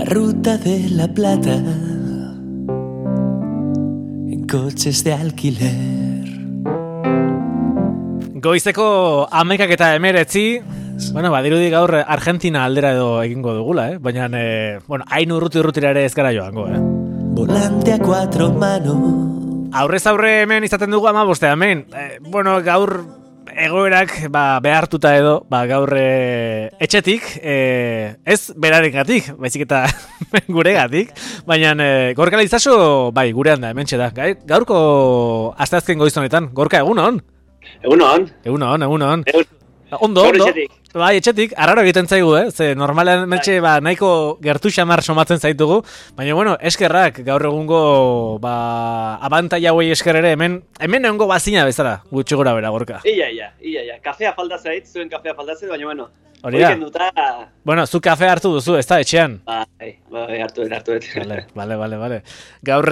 ruta de la Plata, en coches de alquiler. Goizeko 11:19, bueno, badirudi gaur Argentina aldera edo egingo dugula, baina, hain urrutira ere ez gara joango, Volante a cuatro manos. Aurrez aurre hemen izaten dugu 15 hemen. Gaur egoerak behartuta edo, gaur etxetik, ez berarengatik, baizik eta guregatik, baina Gorka Leizaso, gurean da, hementxe da. Gaurko asteazken goizonetan, Gorka, egunon? Egunon. Ondo. Etxetik, arraro egiten zaigu, ze normalean mentxe nahiko gertu xamar somatzen zaitugu, baina, eskerrak, gaur egungo, abantaila hauei esker ere, hemen egongo bazina bezala, gutxi gora bera, Gorka. Ia. Kafea falta zait, zuen kafea falta zait, baina, hori da. Zu kafea hartu duzu, ez da, etxean? Hartu dut. Bale. Gaur,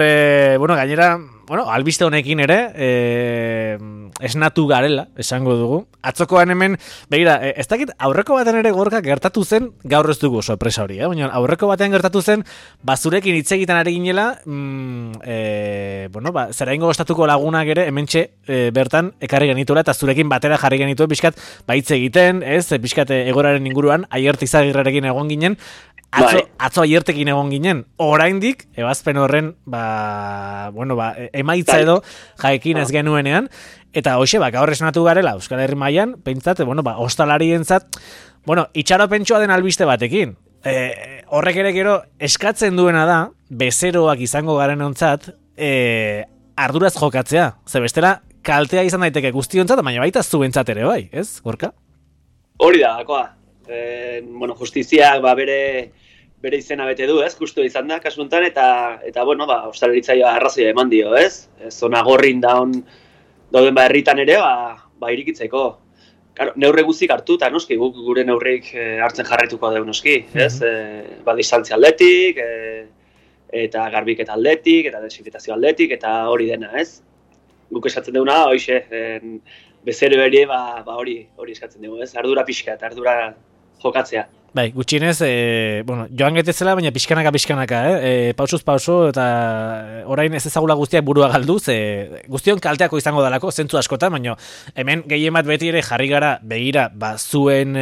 gainera, albiste honekin ere, esnatu garela, esango dugu. Atzokoan hemen, begira, ez dakit, aurreko baten ere Gorka gertatu zen, gaur ez dugu sorpresa hori, baina aurreko batean gertatu zen, zurekin hitz egiten ari ginela, zeraingo estatuko lagunak ere, hementxe bertan ekarri genituela, eta zurekin batera jarri genituen, pixkat, hitz egiten, pixkat egoraren inguruan, Aierte Izagirrerekin egon ginen, atzo Aiertekin egon ginen, oraindik, ebazpen horren, emaitza edo, jaekin ez genuenean, eta hoxe, gaur esnatu garela, Euskal Herri mailan, pentsat, ostalarientzat, itxaropentsua den albiste batekin. Horrek ere gero eskatzen duena da, bezeroak izango garen ontzat, arduraz jokatzea. Ze bestela, kaltea izan daiteke guztiontzat, baina baita zuentzat ere bai, ez, Gorka? Hori da, gakoa. Justiziak bere izena bete du, ez, justu izan da, kasuntan, eta ostalaritzaia arrazoia eman dio, ez? Zona gorrin dauden herritan ere, irikitzeko. Neurre guztik hartu, eta noski, gure neurreik hartzen jarraituko dugu noski, ez? Distantzia aldetik, eta garbiketa aldetik, eta desinfetazio aldetik, eta hori dena, ez? Guk esatzen duguna, hoxe, bezero ere, hori eskatzen dugu, ez? Ardura pixka, eta ardura jokatzea. Gutxienez, joan getezela, baina pixkanaka, pausuz pauso, eta orain ez ezagula guztiak burua galdu, guztion kalteako izango dalako, zentzu askotan, baina hemen gehien bat beti ere jarri gara begira, zuen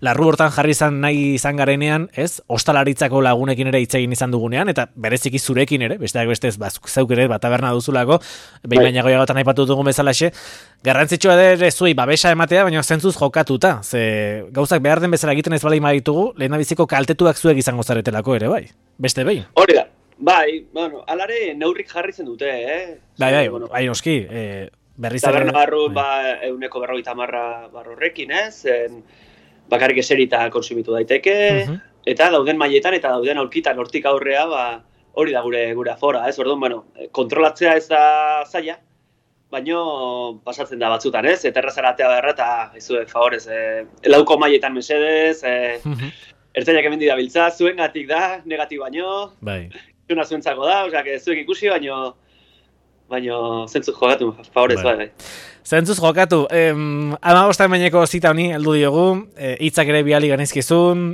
larru hortan jarri nahi izan garenean, ez, ostalaritzako lagunekin ere hitz egin izan dugunean, eta bereziki zurekin ere, besteak bestez, zeuk ere, taberna duzulako, behin baina goiagotan aipatu dugun bezalaxe, garrantzitsua ere zuei babesa ematea, baina zentzuz jokatuta, gauzak behar den bezala egiten ez bala imaditugu, lehendabiziko kaltetuak zuek izango zaretelako ere, bai? Beste behin? Hori da, alare neurrik jarri zen dute, noski, berriz ere... Taberna barru, 150 barrorrekin, ez? Bakarrik eserita konsumitu daiteke, eta dauden mailetan eta dauden aurkitan hortik aurrea, hori da gure afora, ez? Orduan, kontrolatzea ez da zaila, baino pasatzen da batzutan, ez? Eta errazara atea beharra, eta izuek favorez, lauko mailetan mesedez, ertzainak hemen dabiltza, zuengatik da, negatik baino, zuna zuentzako da, osea, zuek ikusi, baino zentzuz jokatu, favorez, bai. Zentzuz jokatu, 15 meneko zita honi heldu diogu, hitzak ere biali ganizkizun,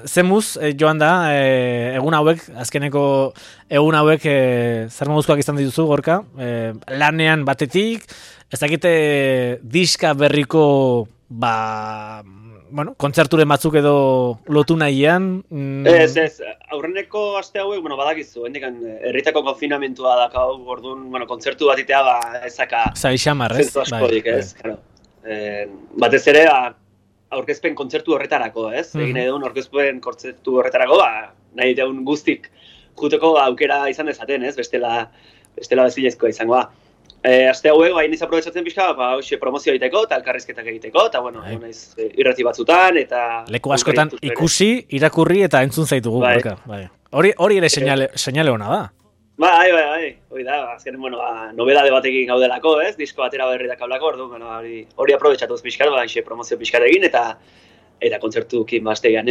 zemuz joan da, egun hauek, azkeneko egun hauek, zer moduzkoak izan dituzu, Gorka, lanean batetik, ez dakite diska berriko, kontzerturen batzuk edo lotu nahian? Ez, aurreneko aste hauek, badakizu, herritako konfinamentua dakau, orduan, kontzertu bat itea, ezaka... Zaixamar, ez? Zentu askorik, ez? Batez ere, aurkezpen kontzertu horretarako, ez? Egin nahi duen aurkezpen kontzertu horretarako, nahi duen guztik juteko aukera izan dezaten, ez? Bestela bezilezkoa izangoa. Aste hauek, niz aprobetsatzen pixka, promozio egiteko, eta elkarrizketak egiteko, eta naiz irrati batzutan, eta... Leku askotan ikusi, irakurri eta entzun zaitugu, Gorka. Hori ere seinale hona da. Bai, hori da, azken, nobedade batekin gaudelako, ez? Disko atera berri dakaulako, orduan, hori aprobetsatuz pixkar, promozio pixkar egin, eta kontzertukin baztegian,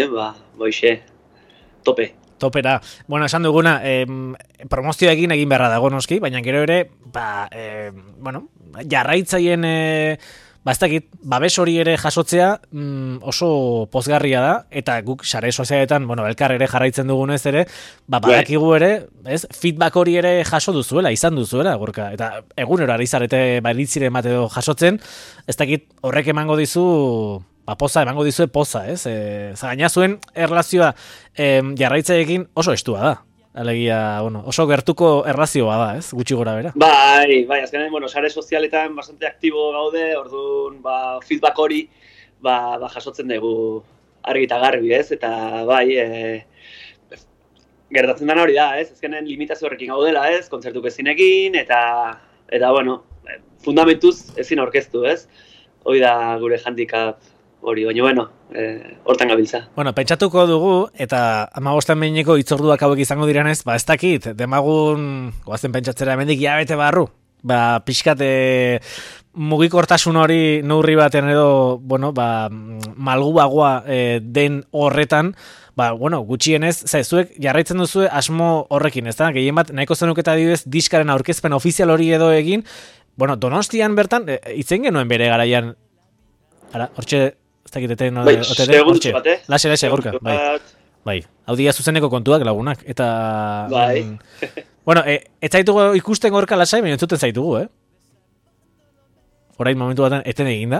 tope. Topera. Esan duguna, promozioa egin beharra dago noski, baina gero ere, jarraitzaien ba ez dakit, babes hori ere jasotzea oso pozgarria da, eta guk sare sozialetan, bueno, elkar ere jarraitzen dugunez ere, ba badakigu ere, ez, feedback hori ere jaso duzuela, izan duzuela, Gorka, eta egunero ari zarete baritzire emate edo jasotzen, ez dakit horrek emango dizu, ba poza, emango dizue poza, ez? Gaina zuen erlazioa jarraitzaiekin oso estua da. Alegia, bueno, oso gertuko erlazioa da, ez? Gutxi gora bera. Bai, azkenean, bueno, sare sozialetan bastante aktibo gaude, orduan, feedback hori, jasotzen dugu argi eta garbi, ez? Eta, bai, gertatzen dena hori da, ez? Azkenean limitazio horrekin gaudela, ez? Kontzertu ezinekin, eta bueno, fundamentuz ezin aurkeztu, ez? Hoi da gure handicap hori, baina, bueno, hortan gabiltza. Bueno, pentsatuko dugu, eta 15 behineko itzorduak hauek izango direnez, ba ez dakit, demagun, goazen pentsatzera hemendik jabete barru, ba pixkat mugikortasun hori neurri baten edo, bueno, ba malguagoa den horretan, ba, bueno, gutxienez, zuek jarraitzen duzu asmo horrekin, ez da? Gehien bat, nahiko zenuketa adibidez, diskaren aurkezpen ofizial hori edo egin, bueno, Donostian bertan, itzen genuen bere garaian, hortxe, ez dakiteten, hortxe, lase, Gorka, bai, hau dia zuzeneko kontuak lagunak, eta... Bai. Bueno, ez zaitugu ikusten Gorka lasai, baina entzuten zaitugu, Orain momentu batean eten eginda.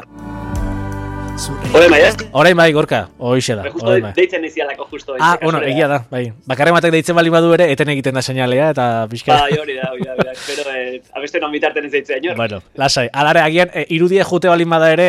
Orain bai, Gorka, hoixe da. Justo deitzen izialako justo. Bueno, egia da, bai. Bakarren batek deitzen bali badu ere, eten egiten da seinalea, eta pixka. Bai, hori da. Espero, abesten on bitarten ez deitzen, inor. Bueno, lasai. Alare, agian, irudia jute balin bada ere,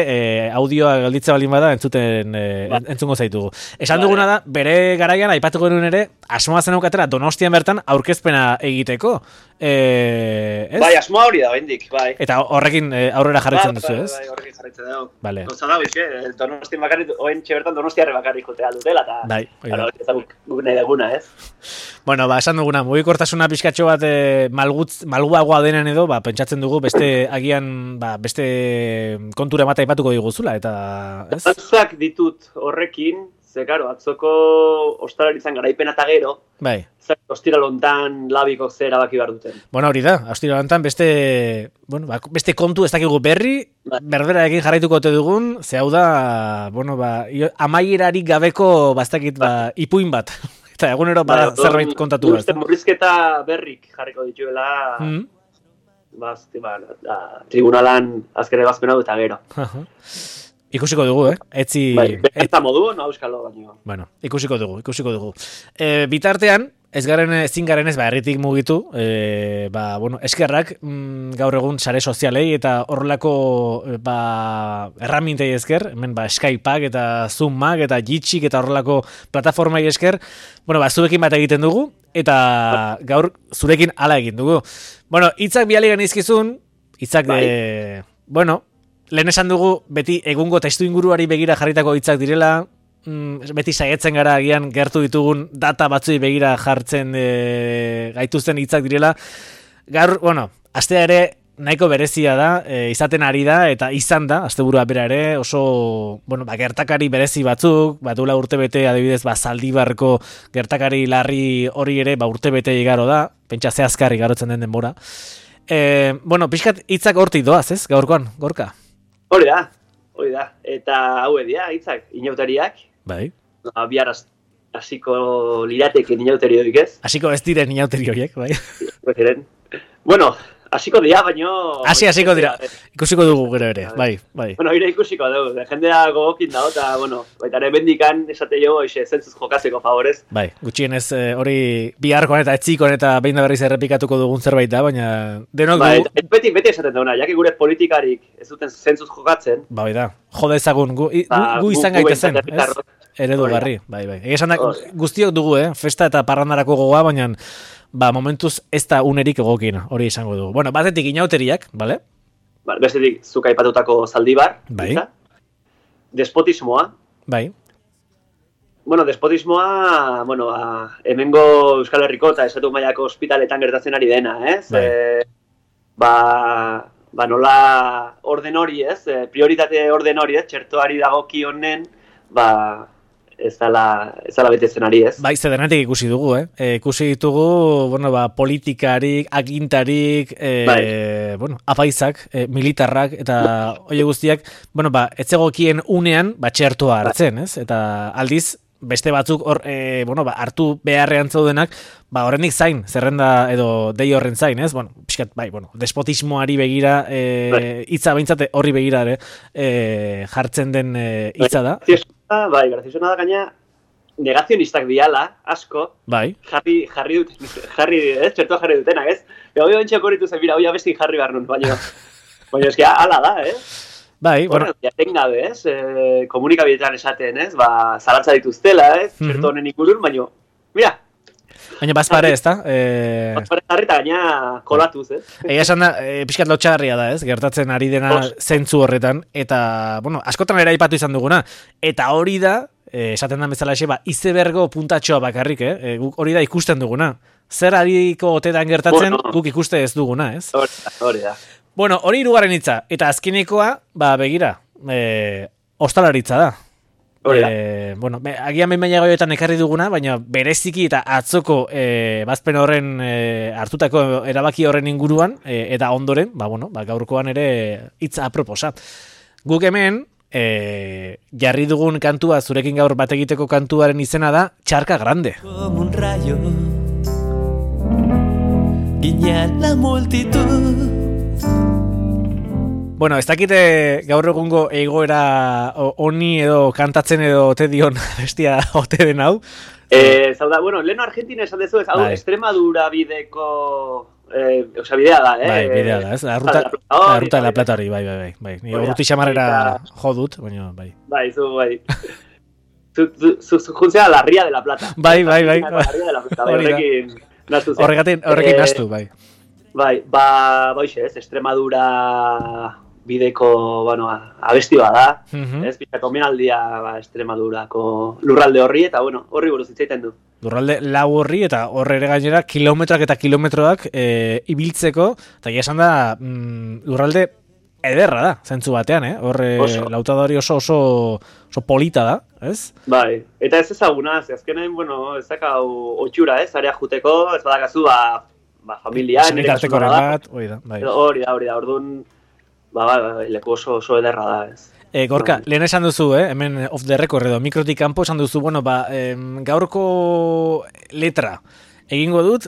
audioa galditze balin bada, entzungo zaitugu. Esan duguna da, bere garaian, aipatuko genuen ere, asmoa zen aukatera Donostian bertan aurkezpena egiteko. Bai, asmoa hori da, bendik, bai. Eta horrekin aurrera jarraitzen duzu, ez? Bai, horrekin jarraitzen dugu. Vale. Gauza da, Donostian bakarrik, oentxe bertan Donostiarre bakarrik jotea dutela, eta... Bai, eta guk nahi daguna, ez? Bueno, ba, esan duguna, mugikortasuna pixkatxo bat malguagoa denen edo, ba, pentsatzen dugu beste agian, ba, beste kontura mata aipatuko diguzula, eta... ez? Zantzak ditut horrekin, ze, karo, atzoko ostalaritzan garaipena eta gero, bai. Ostiralontan labiko zera baki behar duten. Bueno, hori da, ostiralontan beste kontu ez dakigu berri, berberarekin jarraituko ote dugun, ze hau da, bueno, ba, amaierarik gabeko bastakit, ba, ipuin bat. Eta egunero zerbait kontatu bat. Murrizketa berrik jarriko dituela, tribunalan azken ebazpen hau eta gero. Ikusiko dugu, etzi... Eta modu, no euskalo baino. Bueno, ikusiko dugu. Bitartean, ezin garen ez, herritik mugitu, bueno, eskerrak gaur egun sare sozialei eta horrelako erramintei esker, hemen Skypeak eta Zoomak eta Jitxik eta horrelako plataformai esker, bueno, zuekin bat egiten dugu, eta gaur zurekin hala egin dugu. Bueno, hitzak biali genizkizun, hitzak bueno, lehen esan dugu, beti egungo testu inguruari begira jarritako hitzak direla, beti saietzen gara agian gertu ditugun data batzui begira jartzen gaituzten hitzak direla. Gaur, bueno, astea ere nahiko berezia da, izaten ari da, eta izan da, asteburua bera ere, oso, bueno, gertakari berezi batzuk, duela urtebete adibidez, Zaldibarko gertakari larri hori ere, urtebete igaro da, pentsa zehazkarri garotzen den denbora. Bueno, pixkat hitzak hortik doaz, ez, gaurkoan, Gorka? Hori da, eta hau edia, hitzak, inauteriak. Bai. Bihar hasiko lirateke inauteri horiek, ez? Hasiko ez diren inauteri horiek, bai. Bueno, hasiko dira, baino... Hasiko dira, ikusiko dugu gero ere, bai. Bueno, ire ikusiko dugu, jendea gogokin dago, eta, bueno, baita ere bendikan esate jo, zentzuz jokazeko favorez. Bai, gutxienez hori biharkoan eta etzikon eta behin da berriz errepikatuko dugun zerbait da, baina denok dugu... Beti esaten dauna, jaki gure politikarik ez duten zentzuz jokatzen. Bai da, jode ezagun, gu izan gaitezen, ez? Eredugarri, bai. Egesan da, guztiok dugu, festa eta parrandarako gogoa, baina... momentuz ez da unerik egokin, hori izango dugu. Bueno, batetik inauteriak, bale? Bestetik, zuk aipatutako Zaldibar. Bai. Despotismoa. Bai. Bueno, despotismoa, hemengo Euskal Herriko eta Estatu mailako ospitaletan gertatzen ari dena, ez? Bai. Nola orden hori, ez? Prioritate orden hori, ez? Txertoari dagoki honen, ez dala betetzen ari, ez? Bai, denetik ikusi dugu, ikusi ditugu, bueno, politikarik, agintarik, apaizak, militarrak, eta hori guztiak, bueno, etzegokien unean, txertoa hartzen, ez? Eta aldiz, beste batzuk hartu beharrean zaudenak, horrendik zain, zerrenda edo dei horren zain, ez? Bueno, pixkat, despotismoari begira, hitza behintzate horri begira ere, jartzen den hitza da. Graziosuna da gaina, negazionistak diala, asko, jarri txertoa jarri dutenak, ez? Hoi bentsak horritu zen, hoi abestin jarri behar nun, baina eski ala da, ez? Bueno, jaten gabe, ez? Komunikabideetan esaten, ez? Zalantza dituztela, ez? Txerto honen ikurun, baina, mira. Baina bazpare, ez da? Bazpare jarri eta gaina kolatuz, ez? Egia esan da, pixkat lotxagarria da, ez? Gertatzen ari dena zentzu horretan, eta, bueno, askotan ere aipatu izan duguna, eta hori da, esaten da bezala izebergo puntatxoa bakarrik, guk hori da ikusten duguna. Zer ariko otetan gertatzen, guk ikuste ez duguna, ez? Hori da. Bueno, hori hirugarren hitza, eta azkenekoa, begira, ostalaritza da. Bueno, agian behin goioetan ekarri duguna, baina bereziki eta atzoko bazpen horren hartutako erabaki horren inguruan, eta ondoren, gaurkoan ere hitza aproposa. Guk hemen, jarri dugun kantua, zurekin gaur bat egiteko kantuaren izena da, Txarka Grande. Como un rayo, guiña la multitud. Bueno, ez dakite gaur egungo egoera honi edo kantatzen edo ote dion bestia ote den hau. Zauda, bueno, leheno Argentina esan dezu ez, hau Extremadura bideko, bidea da, bidea da, ez? La ruta de la plata hori, bai. Ni urruti xamarrera jo dut, baina, bai. Zu juntzea la ría de la plata. Bai. La ría de la plata, horrekin nastu zen. Horrekin nastu, bai. Ez, Extremadura bideko, abesti da, ez, bizako menaldia Extremadurako lurralde horri, eta, horri buruz hitzaiten du. Lurralde lau horri, eta horre ere gainera, kilometroak eta kilometroak ibiltzeko, eta esan da, lurralde ederra da, zentzu batean, horre lautadori oso polita da, ez? Bai, eta ez ezaguna, azkenen, ez dakau otxura, ez, area juteko, ez badakazu, familia, nire kasuna da. Hori da, orduan, leku oso ederra da, ez. Gorka, lehen esan duzu, hemen off the record edo, mikrotik kanpo esan duzu, gaurko letra egingo dut,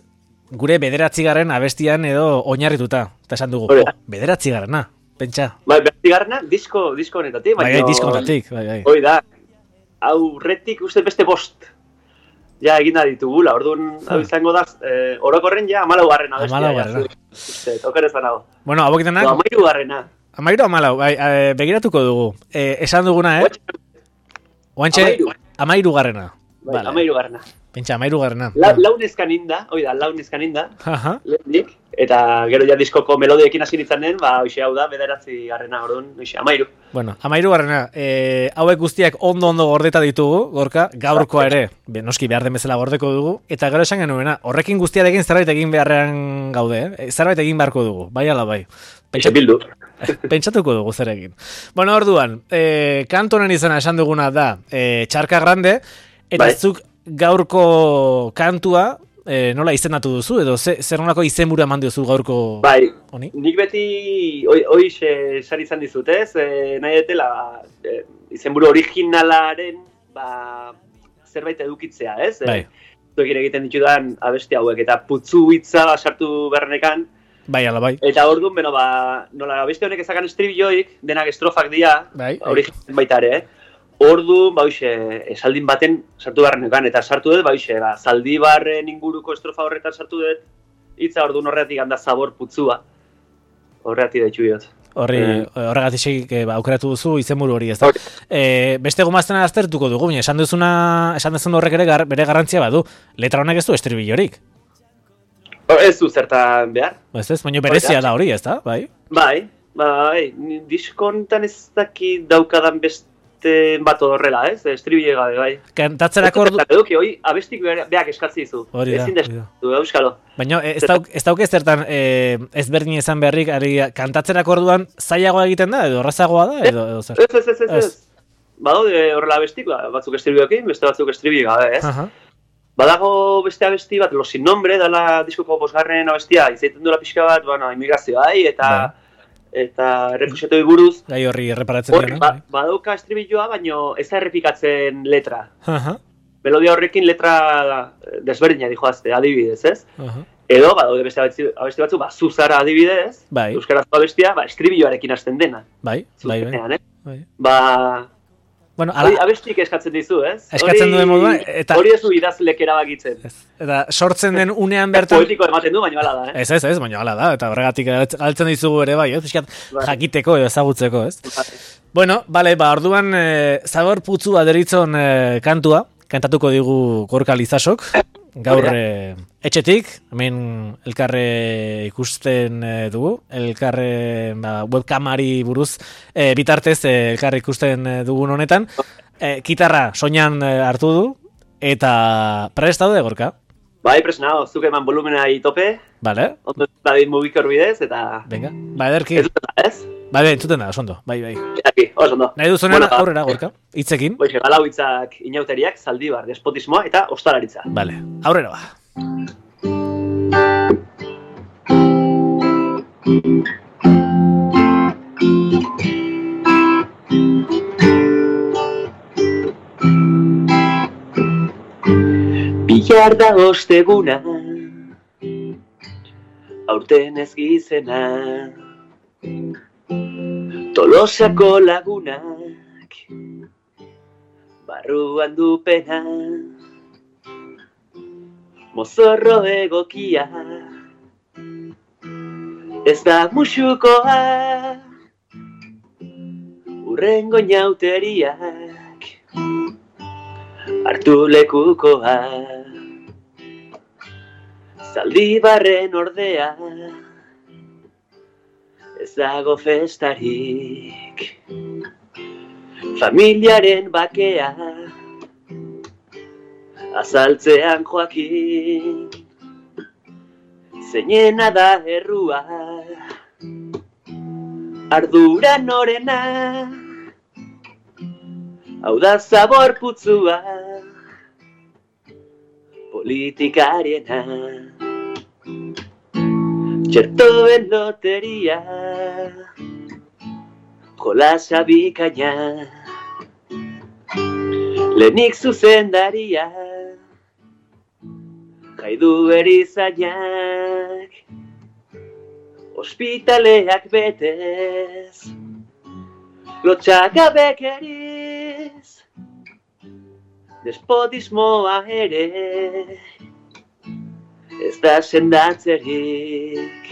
gure 9. abestian edo oinarrituta. Eta esan dugu, 9. pentsa. Bai, 9. disko honetatik. Bai, disko honetatik, bai. Hoi da, aurretik uste beste 5. Ja, egin da ditugula, orduan, hau izango da, orokorren ja, 14. abestia. 14. Oker ez banago. Bueno, hauek denak... 13. 14, bai, begiratuko dugu. Esan duguna, Oantxe, 13. Bai, 13. Pentsa, 13. Launezkan inda, lehenik, eta gero ja diskoko melodiekin hasi nintzanen, hoxe hau da, 9. orduan, hoxe, 13. Bueno, 13. Hauek guztiak ondo gordeta ditugu, Gorka, gaurkoa ere, noski behar den bezala gordeko dugu, eta gero esan genuena, horrekin guztiarekin zerbait egin beharrean gaude, zerbait egin beharko dugu, bai ala bai. Pentsatuko dugu zerekin. Bueno, orduan, kantu honen izena esan duguna da, Txarka Grande, eta zuk gaurko kantua nola izendatu duzu, edo zer nolako izenburu eman duzu gaurko honi? Nik beti hoize sari izan dizut, ez? Nahi detela izenburu originalaren zerbait edukitzea, ez? Zuekin egiten ditudan abesti hauek, eta putzu hitza sartu bernekan. Bai, ala bai. Eta orduan, nola abesti honek ezakan estribilloik, denak estrofak dira, original baita ere, ordu, esaldin baten sartu beharrenekan, eta sartu dut, Zaldibarren inguruko estrofa horretan sartu dut, hitza orduan horretik handa zabor putzua, horretik daitxu diot. Horregatik aukeratu duzu izenburu hori, ez da. Beste gomaztena aztertuko dugu, esan duzun horrek ere bere garrantzia badu, letra honek ez du estribillorik. Ez du zertan behar. Ez, baina berezia da hori, ez da, bai? Bai, diskontan ez daki daukadan beste bat horrela, ez? Estribile gabe, bai. Kantatzerako ordu... Eduki, hoi, abestik beak eskatzi dizu. Hori da. Ezin destu, euskalo. Baina ez dauke zertan ezberdin izan beharrik, kantatzerako orduan zailagoa egiten da, edo errazagoa da, edo zer? Ez. badaude horrela abestik, batzuk estribioekin, beste batzuk estribi gabe, ez? Badago beste abesti bat, Los Sin Nombre, dela diskoko bosgarren abestia, izaiten duela pixka bat, bueno, immigrazioai, eta refuxiatoi buruz. Gai horri erreparatzen dira, no? Badauka estribilloa, baino ez da errepikatzen letra. Melodia horrekin letra desberdina dijoazte, adibidez, ez? Edo, badaude beste abesti batzu, Zuzara adibidez, euskarazko abestia, estribilloarekin hasten dena. Bai. Bueno, abestik eskatzen dizu, ez? Eskatzen duen moduan, eta... Hori ez du idazlek erabakitzen. Eta sortzen den unean bertan... Poetiko ematen du, baina hala da, Ez, baina hala da, eta horregatik galtzen dizugu ere bai, ez? Jakiteko edo ezagutzeko, ez? Bueno, bale, orduan, Zabor Putzu aderitzon kantua, kantatuko digu Gorka Lizasok, gaur etxetik, hemen elkarre ikusten dugu, elkarre webkamari buruz bitartez elkarre ikusten dugun honetan, gitarra soinan hartu du, eta prest daude, Gorka? Bai, presnao, zuk eman volumena tope. Bale. Ondo dadin mugikor bidez, eta... Venga, ederki. Ez dut da, ez? Bai, entzuten da, osondo, bai. Aquí, osondo. Nahi duzunean aurrera, Gorka, hitzekin. Boixe, galau hitzak inauteriak, zaldibar, despotismoa eta ostalaritza. Bale, aurrera ba. Bihar da osteguna, aurten ez gizena, Tolosako lagunak, barruan du pena, mozorro egokia, ez da musukoa, urrengo inauteriak, hartu lekukoa, Zaldibarren ordea, ez dago festarik, familiaren bakea, azaltzean joakin, zeinena da errua, ardura norena, hau da Zabor Putzua, politikariena, txertoen loteria, jolasa bikaina, lehenik zuzendaria, jaidu erizainak, ospitaleak betez, lotxagabek eriz, despotismoa ere, ez da sendatzerik,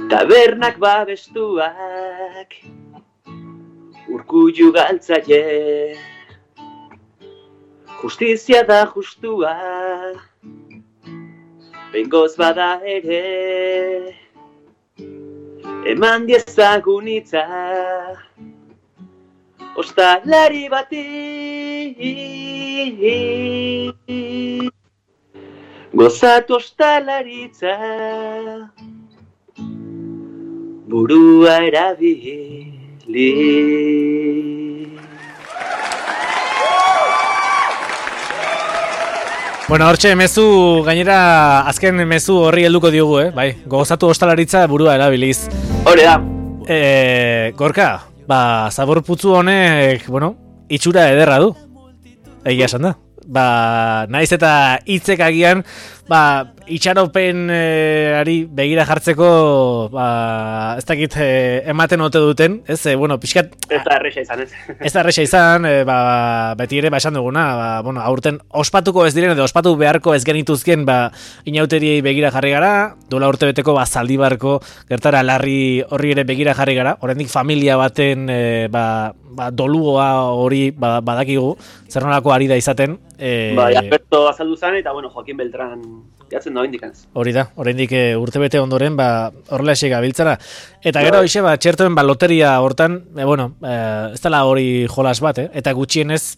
tabernak babestuak, urkullu galtzaile, justizia da justua, behingoz bada ere, eman diezagun hitza, ostalari bati, gozatu ostalaritza, burua erabili. Bueno, hortxe, mezu, gainera, azken mezu horri helduko diogu, bai, gozatu ostalaritza burua erabiliz. Hore da. Gorka, Zabor Putzu honek, itxura ederra du, egia esan da. Naiz eta hitzek agian, itxaropen ari begira jartzeko, ez dakit ematen ote duten, ez, pixkat... Ez da erresa izan, ez? Ez da erresa izan, beti ere, esan duguna, aurten ospatuko ez diren, edo ospatu beharko ez genituzken, inauteriei begira jarri gara, duela urtebeteko, Zaldibarko, gertara larri horri ere begira jarri gara, oraindik familia baten, dolugoa hori badakigu, zer nolako ari da izaten. Alberto azaldu zen, eta Joaquin Beltran jatzen da indikantz. Hori da, oraindik urtebete ondoren, horrela esik gabiltzara. Eta gero, txertoen loteria hortan, ez dela hori jolas bat, eta gutxienez,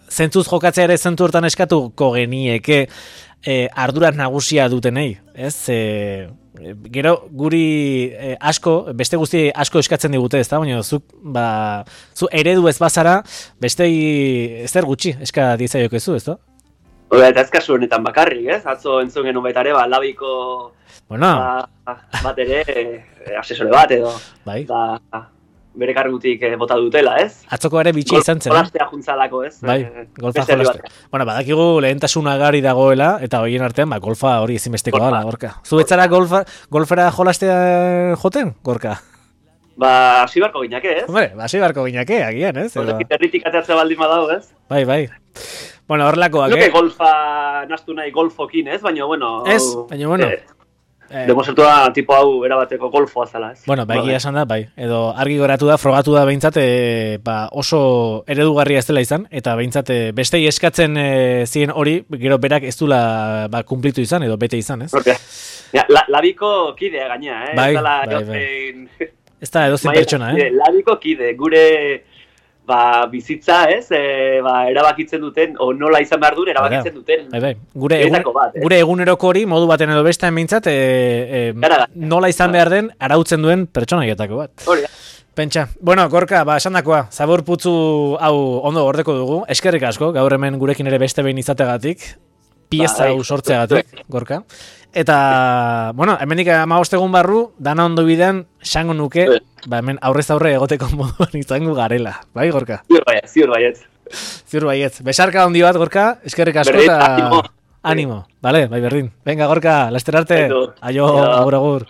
zentzuz jokatzea ere zentu hortan eskatuko genieke, ardura nagusia dutenei, ez? Gero guri beste guzti asko eskatzen digute, ez da? Baina zu eredu ez bazara, bestei zer gutxi eska diezaiokezu, ez da? Eta ez kasu honetan bakarrik, ez? Atzo entzun genuen baita ere, labiko bat ere, asesore bat edo. Bai. Bere kargutik bota dutela, ez? Atzoko ere bitxia izan zen. Jolastea juntzalako, ez? Bai, golfa jolastea. Badakigu lehentasuna gari dagoela, eta horien artean, golfa hori ezinbesteko dala, Gorka. Zu betzara golfera jolastea joten, Gorka? Hasi barko ginake, ez? Hombre, hasi barko ginake, agian, ez? Herritik ateatzea baldin badago, ez? Bai. Horrelakoak, Nuke golfa nastu nahi golfokin, ez? Baina, Ez, baina, bueno. Demostratu da tipo hau erabateko golfoa zala, ez? Egia esan da, bai. Edo argi goratu da, frogatu da behintzat, oso eredugarria ez dela izan, eta behintzat bestei eskatzen ziren hori, gero berak ez dula kumplitu izan, edo bete izan, ez? Labiko kidea gaina, eh? Bai. Ez da edozein pertsona, Labiko kide, gure bizitza, ez? Erabakitzen duten, o nola izan behar duen, erabakitzen duten. Bai. Gure eguneroko hori, modu baten edo bestean behintzat, nola izan behar den, arautzen duen pertsonaietako bat. Hori da. Pentsa. Bueno, Gorka, esandakoa, zabor putzu hau ondo gordeko dugu, eskerrik asko, gaur hemen gurekin ere beste behin izategatik, pieza hau sortzeagatik, Gorka. Eta, hemendik 15 egun barru, dana ondo bidean, xango nuke, hemen aurrez aurre egoteko moduan izango garela. Bai, Gorka? Ziur baietz. Ziur baietz. Besarka handi bat, Gorka, eskerrik asko eta... Animo. Vale, bai berdin. Venga, Gorka, laster arte. Aio, agur.